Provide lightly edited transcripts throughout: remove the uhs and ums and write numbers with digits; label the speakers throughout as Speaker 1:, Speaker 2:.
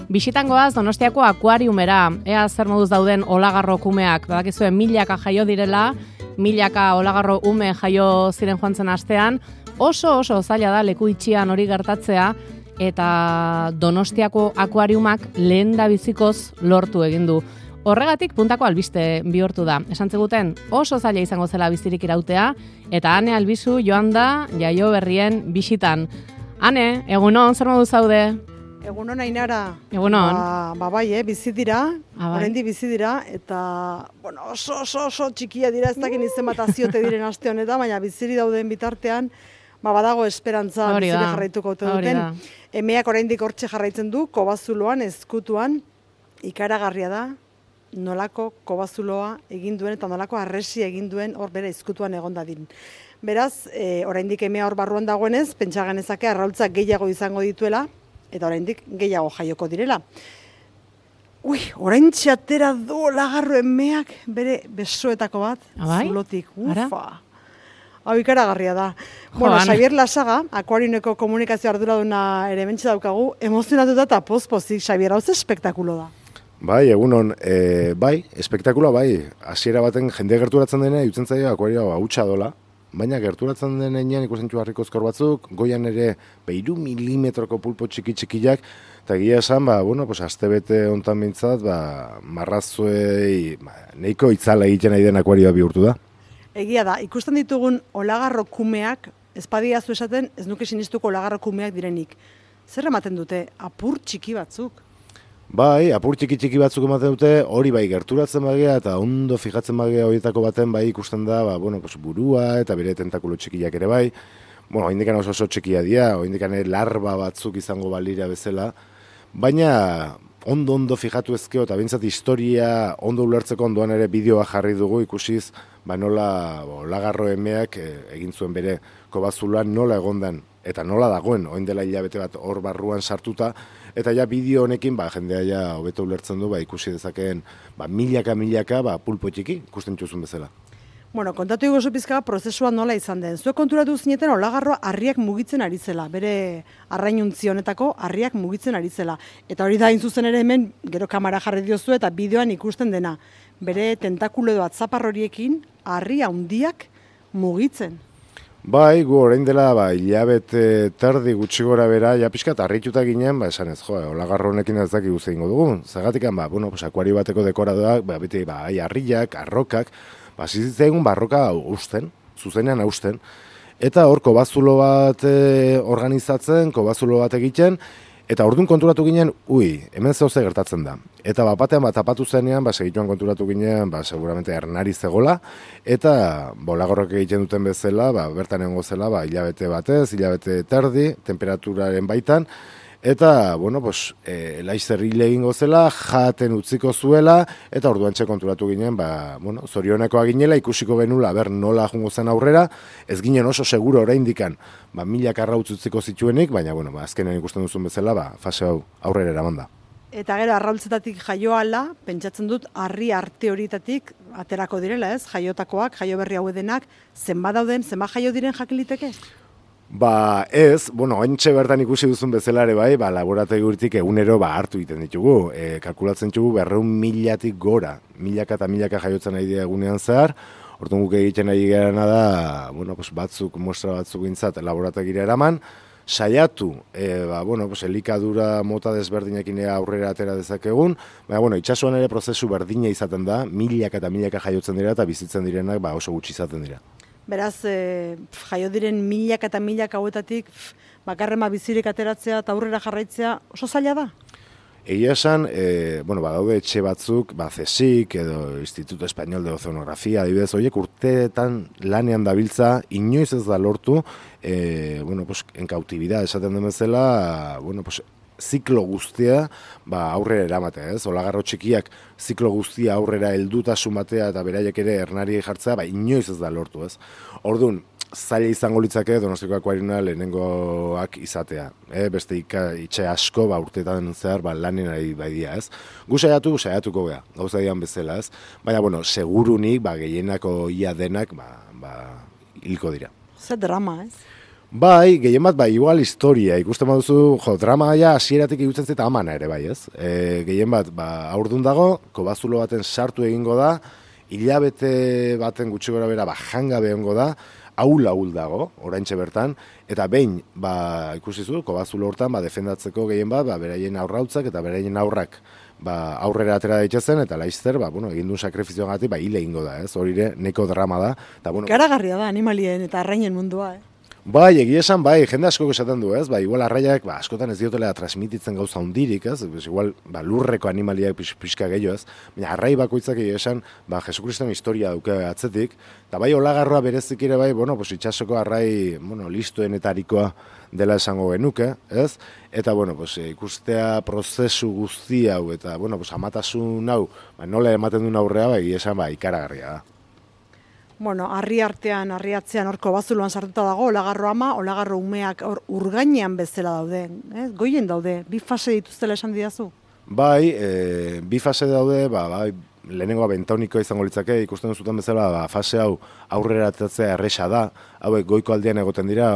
Speaker 1: Bisitangoaz Donostiako akuariumera, ea zer moduz dauden olagarro kumeak, badakizue milaka jaio direla, milaka olagarro ume jaio ziren joan zen astean, oso zaila da leku itxian hori gertatzea, eta Donostiako akuariumak lehendabizikoz lortu egin du. Horregatik puntako albiste bihurtu da. Esan zeguten oso zaila izango zela bizirik irautea, eta Ane Albizu joan da jaio berrien bisitan. Ane, egunon, zer modu zaude?
Speaker 2: Egunon Ainara.
Speaker 1: Egunon.
Speaker 2: Bai, bizi dira,
Speaker 1: Bai.
Speaker 2: oraindik bizi dira, eta oso txikia dira, ez dakin izen bat aziote diren aste honetan, baina biziri dauden bitartean, badago esperantza bizire jarraituko duten. Emeak oraindik hortxe jarraitzen du, kobazuloan, ezkutuan, ikaragarria da, nolako kobazuloa egin duen eta nolako arresi egin duen hor bere ezkutuan egon dadin. Beraz, oraindik emea hor barruan dagoenez, pentsa genezake arraultzak gehiago izango dituela, eta oraindik gehiago jaioko direla. Oraintxe atera du olagarro emeak bere besoetako bat, zulotik, Hau ikaragarria da. Xabier Lasaga, akuariumeko komunikazio arduraduna ere mentxe daukagu, emozionatuta eta pozpozik, Xabier, hau ze espektakulo da?
Speaker 3: Bai, egunon, espektakuloa bai, hasiera baten jende gerturatzen dena, jutzen zaio akuarioa hautsa dola, baina gerturatzen denean ikusten harriko ezkor batzuk, goian ere 3 milimetroko pulpo txikiak, eta egia esan, astebete hontan bintzat, marrazuei, nahiko itzala egiten nahi den akuarioa bihurtu da.
Speaker 2: Egia da, ikusten ditugun olagarro kumeak, ezpadiazu esaten, ez nuke sinistuko olagarro kumeak direnik. Zer ematen dute, apur txiki batzuk?
Speaker 3: Bai, apur txiki batzuk ematen dute, hori bai gerturatzen bagea eta ondo fijatzen bagea horietako baten bai ikusten da, burua eta bere tentakulo txikiak ere bai. Oindikan oso txikia dira, oindikan larba batzuk izango balira bezala, baina ondo fijatu ezkeo eta bintzat historia ondo ulertzeko ondoan ere bideoa jarri dugu ikusiz, nola olagarro emeak egin zuen bere kobazuloan nola egondan eta nola dagoen, oin dela hilabete bat hor barruan sartuta, eta ja bideo honekin jendea ja hobeto ulertzen du ikusi dezakeen milaka pulpo txiki ikusten txuzun bezala.
Speaker 2: Kontatu iguzu pizka prozesua nola izan den. Zuek konturatu zineten olagarroa harriak mugitzen ari zela, bere arrainuntzi honetako harriak mugitzen ari zela. Eta hori da hain zuzen ere hemen, gero kamera jarri diozu eta bideoan ikusten dena. Bere tentakulo edo atzapar horiekin harri handiak mugitzen.
Speaker 3: Bai, gu orain dela hilabete terdi gutxi gora bera, ja pixkat harrituta ginen, esan ez, olagarro honekin ez daki guzti ingo dugu. Zagatik, akuario bateko dekoradoak, beti harriak, arrokak, zizitzen barroka zuzenean hausten, eta hor kobazulo bat organizatzen, kobazulo bat egiten, eta orduan konturatu ginen, hemen zehose gertatzen da. Eta batean tapatu zenean, segituan konturatu ginen, seguramente ernari zegola, eta bolagorrok egiten duten bezala, bertan egongo zela, hilabete batez, hilabete terdi, temperaturaren baitan, eta, laizzer hile egingo zela, jaten utziko zuela, eta orduan konturatu ginen, zorionekoa ginela, ikusiko genula, nola jungo zen aurrera, ez ginen oso seguro oraindikan, milaka arrautz utziko zituenik, baina, azkenean ikusten duzun bezala, fase hau aurrera eraman da.
Speaker 2: Eta gero, arrautzetatik jaioala, pentsatzen dut, harri arte horietatik aterako direla, ez? Jaiotakoak, jaio berri hau edenak, zenbat dauden, zenbat jaio diren jakiliteke?
Speaker 3: Ez, ointxe bertan ikusi duzun bezala ere bai, laborateguritik egunero hartu egiten ditugu. Kalkulatzen ditugu 200.000-tik gora, milaka eta milaka jaiotzen nahi dira egunean zehar, orduan guk egiten nahi gerana da, muestra batzuk gintzat laborategira eraman, saiatu, elikadura mota desberdinekin aurrera atera dezakegun, itxasuan ere prozesu berdina izaten da, milaka eta milaka jaiotzen dira eta bizitzen direnak oso gutxi izaten dira.
Speaker 2: Beraz, jaio diren milaka eta milaka hauetatik, bakarrema bizirik ateratzea eta aurrera jarraitzea oso zaila da?
Speaker 3: Egia esan, badaude etxe batzuk, CSIC edo Instituto Español de Oceanografía, adibidez, horiek urteetan lanean dabiltza, inoiz ez da lortu, enkautibidad esaten den bezala, ziklo guztia aurrera eramatea, ez? Olagarro txikiak ziklo guztia aurrera heldutasun batea eta beraiek ere ernari jartzea, inoiz ez da lortu, ez? Orduan, zaila izango litzake Donostiako akuariuma lehenengoak izatea. Beste itxe asko urteetan zehar lanen ari baidia, ez? Gu saiatuko gea, gauza dian bezala, ez? Baina, segurunik, gehienako ia denak, hilko dira.
Speaker 2: Zer drama, ez?
Speaker 3: Bai, gehien bat, igual historia, ikusten baduzu, drama hasieratik ikutzen zeta amana ere, bai, ez? Gehien bat, aurdun dago, kobazulo baten sartu egingo da, hilabete baten gutxi gora bera, jangabe egongo da, ahul dago, oraintxe bertan, eta behin, ikusizu, kobazulo hortan, defendatzeko gehien bat, beraien aurrautzak eta beraien aurrak, aurrera atera daitezen, eta laizzer, egin duen sakrifizioagatik, hile egingo da, ez? Hori ere, neko drama da.
Speaker 2: Garagarria da, animalien eta arrainen mundua,
Speaker 3: Bai, egia esan, jende asko esaten du, ez? Igual arraiak, askotan ez diotela transmititzen gauza hundirik, ez? Igual, lurreko animaliak pixka gehiago, ez? Baina arrai bakoitzak egia esan, Jesukriston historia duke atzetik, eta olagarroa berezik ere itxasoko arrai, listoenetarikoa dela esango genuke, ez? Eta, ikustea prozesu guzti hau, eta, amatasun hau, nola ematen duen aurrea, egia esan, ikaragarria da.
Speaker 2: Harri artean, harri atzean horko bazuloan sartuta dago, olagarro ama, olagarro umeak urgainean bezala daude, goien daude, bi fase dituztela esan didazu?
Speaker 3: Bai, bi fase daude, lehenengoa bentaunikoa izango litzake, ikusten zuten bezala, fase hau aurrera ateratzea erresa da, hauek goiko aldean egoten dira,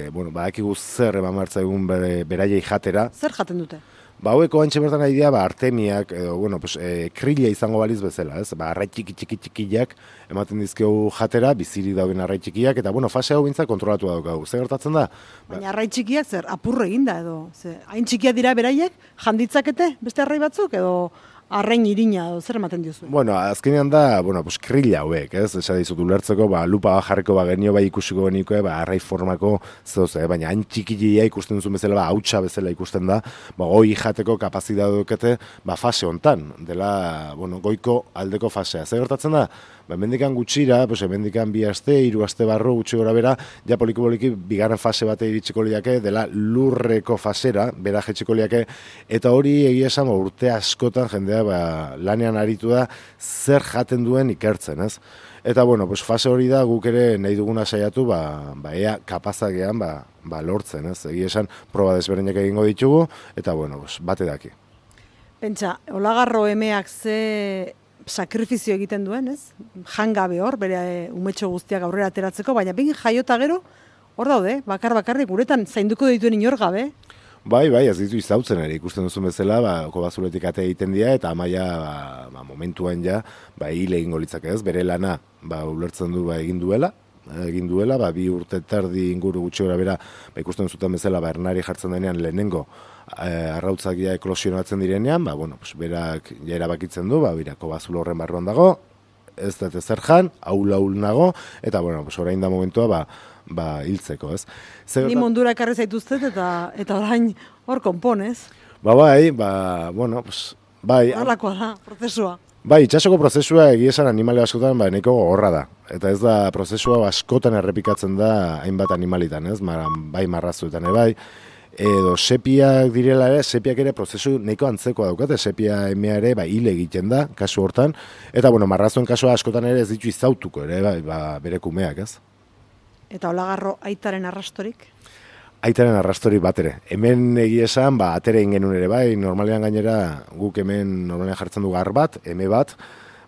Speaker 3: badakigu zer eman martza egun beraiei jatera.
Speaker 2: Zer jaten dute?
Speaker 3: Haueko antxe bertan nahi dira, artemiak, krila izango baliz bezala, ez? Arrai txikiak ematen dizkegu jatera, biziri dauden arrai txikiak, eta fase hau bintzak kontrolatu daukagu. Zer gertatzen da?
Speaker 2: Baina arrai txikiak zer, apurre eginda edo? Hain txikia dira beraiek, janditzakete beste arrai batzuk edo arrain irina edo zer ematen diozu?
Speaker 3: Azkenean da, krila hauek, ez? Esa dizut ulertzeko, lupa jarriko genio ikusiko geniko, arrai formako zeoze, baina hain txikia ikusten duzun bezala, hautsa bezala ikusten da, hoi jateko kapazitatea dukete, fase hontan, dela, goiko aldeko fasea. Zer gertatzen da? Hemendikan gutxira, hemendikan 2 aste, 3 aste barru gutxi gora bera, ja poliki bigarren fase bate iritsiko liake, dela lurreko fasera, bera jetxiko liake, eta hori egia esan urte askotan jendea lanean aritu da zer jaten duen ikertzen, ez? Eta, fase hori da guk ere nahi duguna saiatu, ea kapazagean lortzen, ez? Egia esan proba desberdinak egingo ditugu, eta, bate daki.
Speaker 2: Pentsa, olagarro emeak ze sakrifizio egiten duen, ez? Jangabe hor, bere umetxo guztiak aurrera ateratzeko, baina behin jaiota gero, hor daude, bakarrik uretan zainduko dituen inor gabe.
Speaker 3: Bai, ez ditu izautzen ere, ikusten duzun bezala, kobazuletik ate egiten dira, eta amaia momentuan hile egingo litzake, ez? Bere lana, ulertzen du egin duela, 2 urte terdi inguru gutxi gora bera, ikusten zuten bezala, ernari jartzen denean lehenengo, arrautzak eklosionatzen direnean, berak erabakitzen du, kobazulo horren barruan dago, ez da zer jan, ahul nago, eta, orain da momentua, hiltzeko, ez?
Speaker 2: Ni mundura ekarri zaituztet, eta orain hor konponez.
Speaker 3: Bai.
Speaker 2: Horlakoa da, prozesua.
Speaker 3: Bai, itxasoko prozesua egiesan animale askotan nahiko gogorra da. Eta ez da prozesua askotan errepikatzen da hainbat animalitan, ez? Bai marrazuetan, bai. Edo sepiak direla ere, sepiak ere prozesu nahiko antzekoa daukate, sepia emea ere hile egiten da, kasu hortan. Eta, marrazuen kasua askotan ere ez ditu izautuko ere, bere kumeak, ez?
Speaker 2: Eta olagarro aitaren arrastorik?
Speaker 3: Aitaren arrastori bat ere. Hemen egia esan, atere ingenun ere bai, normalean gainera guk hemen normalean jartzen du gar bat, eme bat,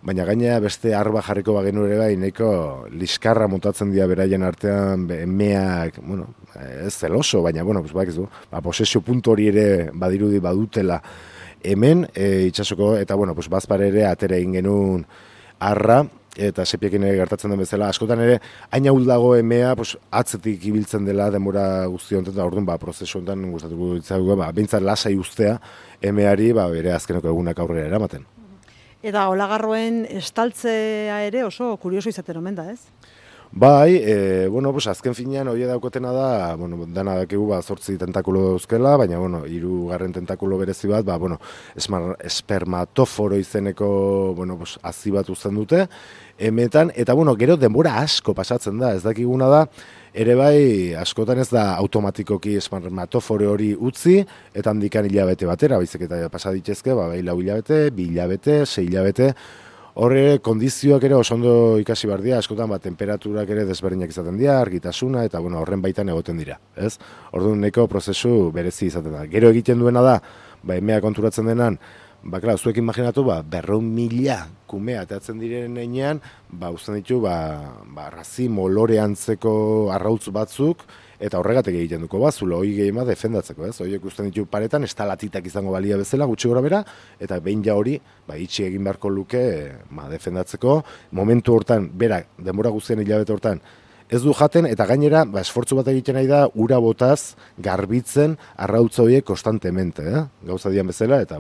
Speaker 3: baina gainera beste arba jarriko bagenu ere bai, nahiko liskarra montatzen dira beraien artean, emeak, ez zeloso, baina, bakizu, posesio puntu hori ere badirudi badutela hemen, itxasoko, eta, bazpare ere atere ingenun arra, eta sepiekin ere gertatzen den bezala, askotan ere, hain ahul dago emea, atzetik ibiltzen dela denbora guzti honetan, orduan, prozesu honetan gustatuko ditzago, behintzat lasai ustea emeari, bere azkeneko egunak aurrera eramaten.
Speaker 2: Eta olagarroen estaltzea ere oso kurioso izaten omen da, ez?
Speaker 3: Bai, azken finean hori daukotena da, dana dakigu 8 tentakulo dauzkela, baina, 3. tentakulo berezi bat, espermatoforo izeneko, hazi bat uzten dute, emetan, eta, gero denbora asko pasatzen da, ez dakiguna da, ere bai, askotan ez da automatikoki espermatoforo hori utzi, eta handikan hilabete batera, baizik eta pasaditezke, 4 hilabete, 2 hilabete, 6 hilabete, horre kondizioak ere oso ondo ikasi behar dira, askotan temperaturak ere desberdinak izaten dira, argitasuna, eta horren baitan egoten dira, ez? Orduan neko prozesu berezi izaten da. Gero egiten duena da, emea konturatzen denan, zuek imaginatu, 200.000 kumea ateatzen diren einean, uzten ditu, razi molore antzeko arrautz batzuk, eta horregatik egiten duko zulo hoi gehiema defendatzeko, ez? Horiek usten ditu paretan, estalatitak izango balia bezala, gutxi gora bera, eta behin ja hori, itxi egin beharko luke, defendatzeko, momentu hortan, bera, denbora guztien hilabete hortan, ez du jaten, eta gainera, esfortzu bat egiten nahi da, ura botaz, garbitzen, arrautza horiek konstantemente, gauza dian bezala, eta,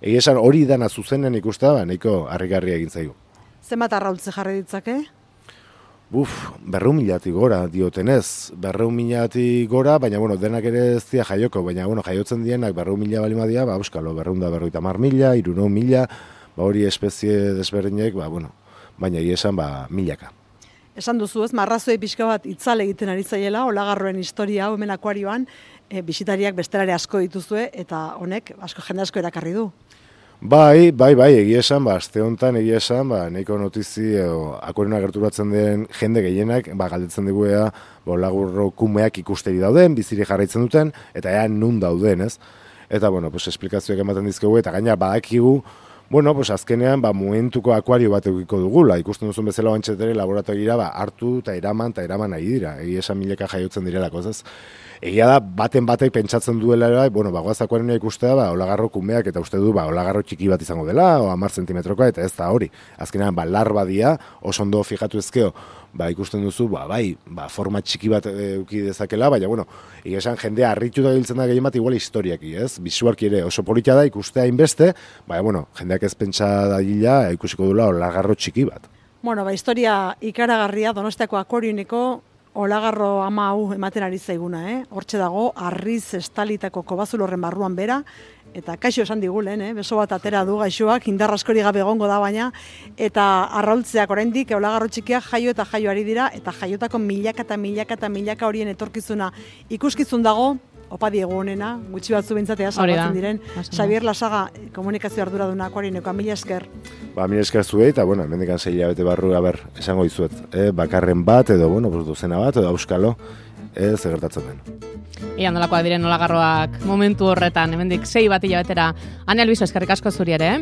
Speaker 3: egia esan hori dana zuzenen ikusta, nahiko harrigarria egin zaigu.
Speaker 2: Zenbat arrautze jarri ditzake?
Speaker 3: 200.000 gora diotenez, 200.000 gora, baina, denak ere ez dira jaioko, baina, jaiotzen dienak 200.000 balima dira, euskalo, 250.000, 300.000, hori espezie desberdinek, baina egia esan, milaka.
Speaker 2: Esan duzu ez, marrazoi pixka bat itzale egiten ari zaiela, olagarroen historia, hemen akuarioan, bisitariak bestelare asko dituzue, eta honek, jende asko erakarri du.
Speaker 3: Bai, egia esan, aste honetan egia esan, nahiko notizi, akuarioa gerturatzen den jende gehienak, galdetzen diguea, olagarro kumeak ikusteri dauden, biziri jarraitzen duten, eta ea nun dauden, ez? Eta, esplikazioak ematen dizkegu, eta gaina badakigu, azkenean, momentuko akuario bat egiko dugula. Ikusten duzun bezala bantxetere laboratorira hartu eta eraman nahi dira. Egia esan milaka jaiotzen direlako, ez? Egia da, baten batek pentsatzen duela, bagoaz akuarioa ikustea, olagarro kumeak, eta uste du, olagarro txiki bat izango dela, o 10 zentimetrokoa, eta ez da hori. Azkenean, larba dia, oso ondo fijatu ezkeo, ikusten duzu, forma txiki bat euki dezakela, baina, egia esan jendea harritu da giltzen da gehien bat igual historiaki, ez? Bisualki ere oso politia da ikustea inbeste, jendeak ez pentsa da gila ikusiko dula olagarro txiki bat.
Speaker 2: Historia ikaragarria Donostiako akuarioneko olagarro ama hau ematen ari zaiguna, Hortxe dago, arriz estalitako kobazulorren barruan bera, eta kaixo esan digulen, beso bat atera du gaixoak, indar askori gabe egongo da baina, eta arraultzeak oraindik olagarro txikiak jaio eta jaio ari dira, eta jaiotako milaka horien etorkizuna ikuskizun dago, opa diegu honena, gutxi batzu bintzatea salbatzen diren, Xabier Lasaga, komunikazio arduraduna akuarioneko, mila esker.
Speaker 3: Mila esker zuei, eta, hemendikan 6 hilabete barru, esango dizuet, bakarren bat, edo, dozena bat, edo auskalo, ez gertatzen den.
Speaker 1: Ian nolakoak diren olagarroak momentu horretan, hemendik 6 bat hilabetera. Ane Albizu, eskerrik asko zuri ere,